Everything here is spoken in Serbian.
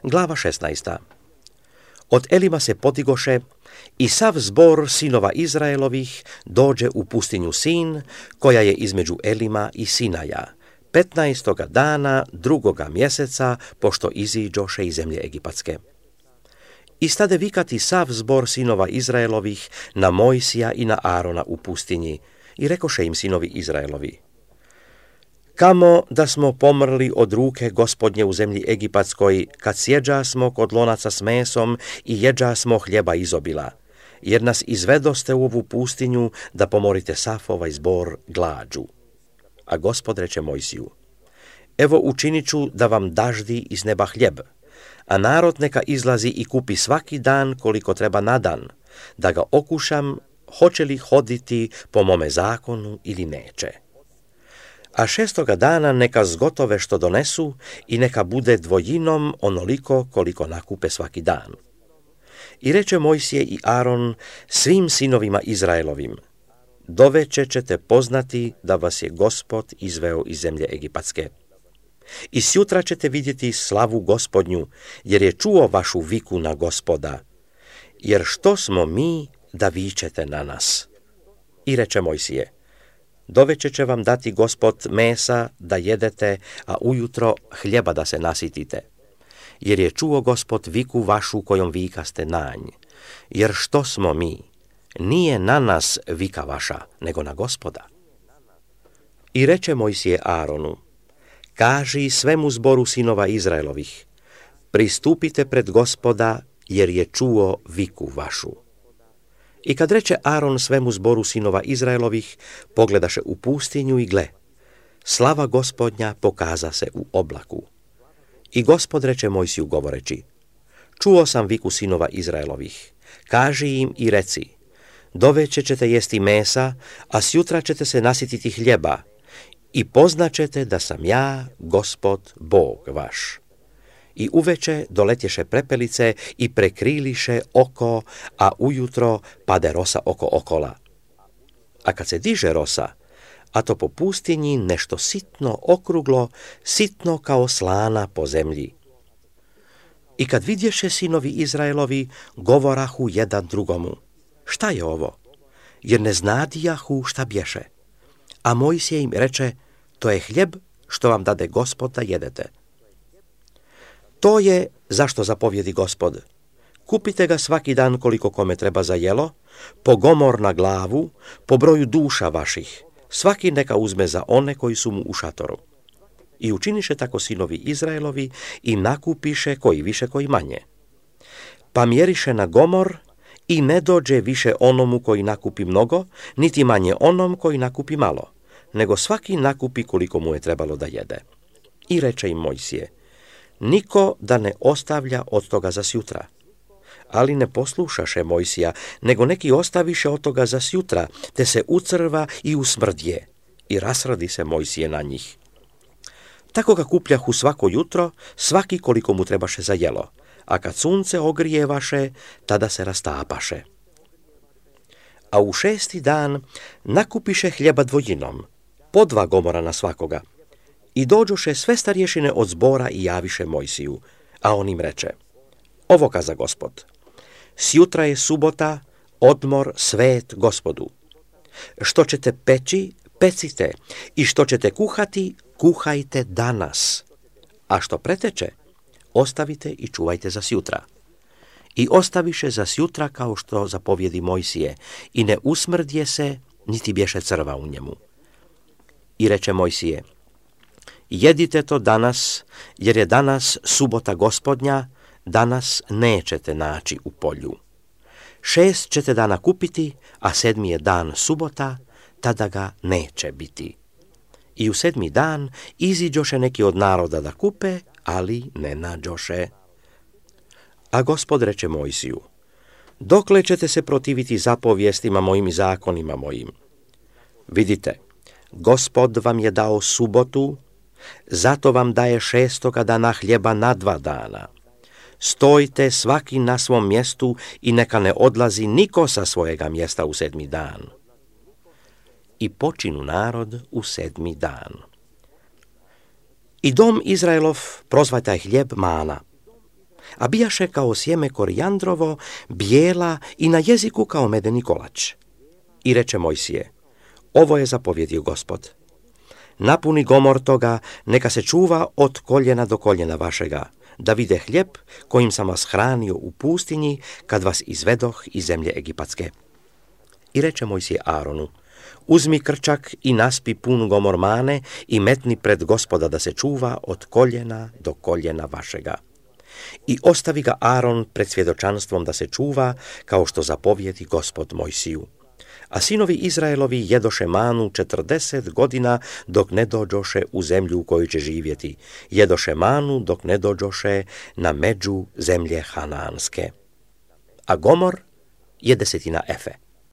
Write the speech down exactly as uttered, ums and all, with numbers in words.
Glava šesnaesta. Od Elima se podigoše i sav zbor sinova Izraelovih dođe u pustinju Sin, koja je između Elima i Sinaja, petnaestoga dana drugoga mjeseca, pošto iziđoše iz zemlje Egipatske. I stade vikati sav zbor sinova Izraelovih na Mojsija i na Arona u pustinji, i rekoše im sinovi Izraelovi: Kamo da smo pomrli od ruke Gospodnje u zemlji Egipatskoj, kad sjeđa smo kod lonaca s mesom i jeđa smo hljeba izobila, jer nas izvedoste u ovu pustinju da pomorite sav ovaj zbor glađu. A Gospod reče Mojsiju: Evo učinit ću da vam daždi iz neba hljeb, a narod neka izlazi i kupi svaki dan koliko treba na dan, da ga okušam hoće li hoditi po mome zakonu ili neće. A šestoga dana neka zgotove što donesu i neka bude dvojinom onoliko koliko nakupe svaki dan. I reče Mojsije i Aron svim sinovima Izraelovim: Doveče ćete poznati da vas je Gospod izveo iz zemlje Egipatske. I sjutra ćete vidjeti slavu Gospodnju, jer je čuo vašu viku na Gospoda. Jer što smo mi da vičete na nas? I reče Mojsije: Doveče će vam dati Gospod mesa da jedete, a ujutro hljeba da se nasitite. Jer je čuo Gospod viku vašu kojom vikaste nanj. Jer što smo mi? Nije na nas vika vaša, nego na Gospoda. I reče Mojsije Aronu: Kaži svemu zboru sinova Izraelovih: Pristupite pred Gospoda, jer je čuo viku vašu. I kad reče Aron svemu zboru sinova Izraelovih, pogledaše u pustinju i gle, slava Gospodnja pokaza se u oblaku. I Gospod reče Mojsiju govoreći: Čuo sam viku sinova Izraelovih, kaži im i reci: Doveče ćete jesti mesa, a sjutra ćete se nasititi hljeba, i poznaćete da sam ja, Gospod, Bog vaš. I uveče doletješe prepelice i prekriliše oko, a ujutro pade rosa oko okola. A kad se diže rosa, a to po pustinji nešto sitno okruglo, sitno kao slana po zemlji. I kad vidješe sinovi Izraelovi, govorahu jedan drugomu: Šta je ovo? Jer ne znadijahu šta bješe. A Mojsije im reče: To je hljeb što vam dade Gospod da jedete. To je zašto zapovjedi Gospod: Kupite ga svaki dan koliko kome treba za jelo, po gomor na glavu, po broju duša vaših, svaki neka uzme za one koji su mu u šatoru. I učiniše tako sinovi Izraelovi i nakupiše koji više koji manje. Pa mjeriše na gomor i ne dođe više onomu koji nakupi mnogo, niti manje onom koji nakupi malo, nego svaki nakupi koliko mu je trebalo da jede. I reče im Mojsije: Niko da ne ostavlja od toga za sjutra. Ali ne poslušaše Mojsija, nego neki ostaviše od toga za sjutra, te se ucrva i usmrdje. I rasradi se Mojsije na njih. Tako ga kupljahu svako jutro, svaki koliko mu trebaše za jelo, a kad sunce ogrijevaše, tada se rastapaše. A u šesti dan nakupiše hljeba dvojinom, po dva gomora na svakoga. I dođoše sve starješine od zbora i javiše Mojsiju, a on im reče: Ovo kaza Gospod: Sjutra je subota, odmor svet Gospodu. Što ćete peći, pecite, i što ćete kuhati, kuhajte danas. A što preteče, ostavite i čuvajte za sjutra. I ostaviše za sjutra kao što zapovjedi Mojsije, i ne usmrdje se, niti bješe crva u njemu. I reče Mojsije: Jedite to danas, jer je danas subota Gospodnja, danas nećete naći u polju. Šest ćete dana kupiti, a sedmi je dan subota, tada ga neće biti. I u sedmi dan iziđoše neki od naroda da kupe, ali ne nađoše. A Gospod reče Mojsiju: Dokle ćete se protiviti zapovjestima mojim i zakonima mojim? Vidite, Gospod vam je dao subotu, zato vam daje šestoga dana hljeba na dva dana. Stojte svaki na svom mjestu i neka ne odlazi niko sa svojega mjesta u sedmi dan. I počinu narod u sedmi dan. I dom Izraelov prozvaj taj hljeb mana. a bijaše kao sjeme korijandrovo, bijela i na jeziku kao medeni kolač. I reče Mojsije, ovo je zapovjedio Gospod. Napuni gomor toga, neka se čuva od koljena do koljena vašega, da vide hljeb kojim sam vas hranio u pustinji kad vas izvedoh iz zemlje Egipatske. I reče Mojsije Aaronu, uzmi krčak i naspi pun gomor mane i metni pred Gospoda da se čuva od koljena do koljena vašega. I ostavi ga Aaron pred svjedočanstvom da se čuva, kao što zapovjedi Gospod Mojsiju. A sinovi Izraelovi jedoše manu četrdeset godina dok ne dođoše u zemlju u kojoj će živjeti. Jedoše manu dok ne dođoše na među zemlje Hanaanske. A gomor je desetina efe.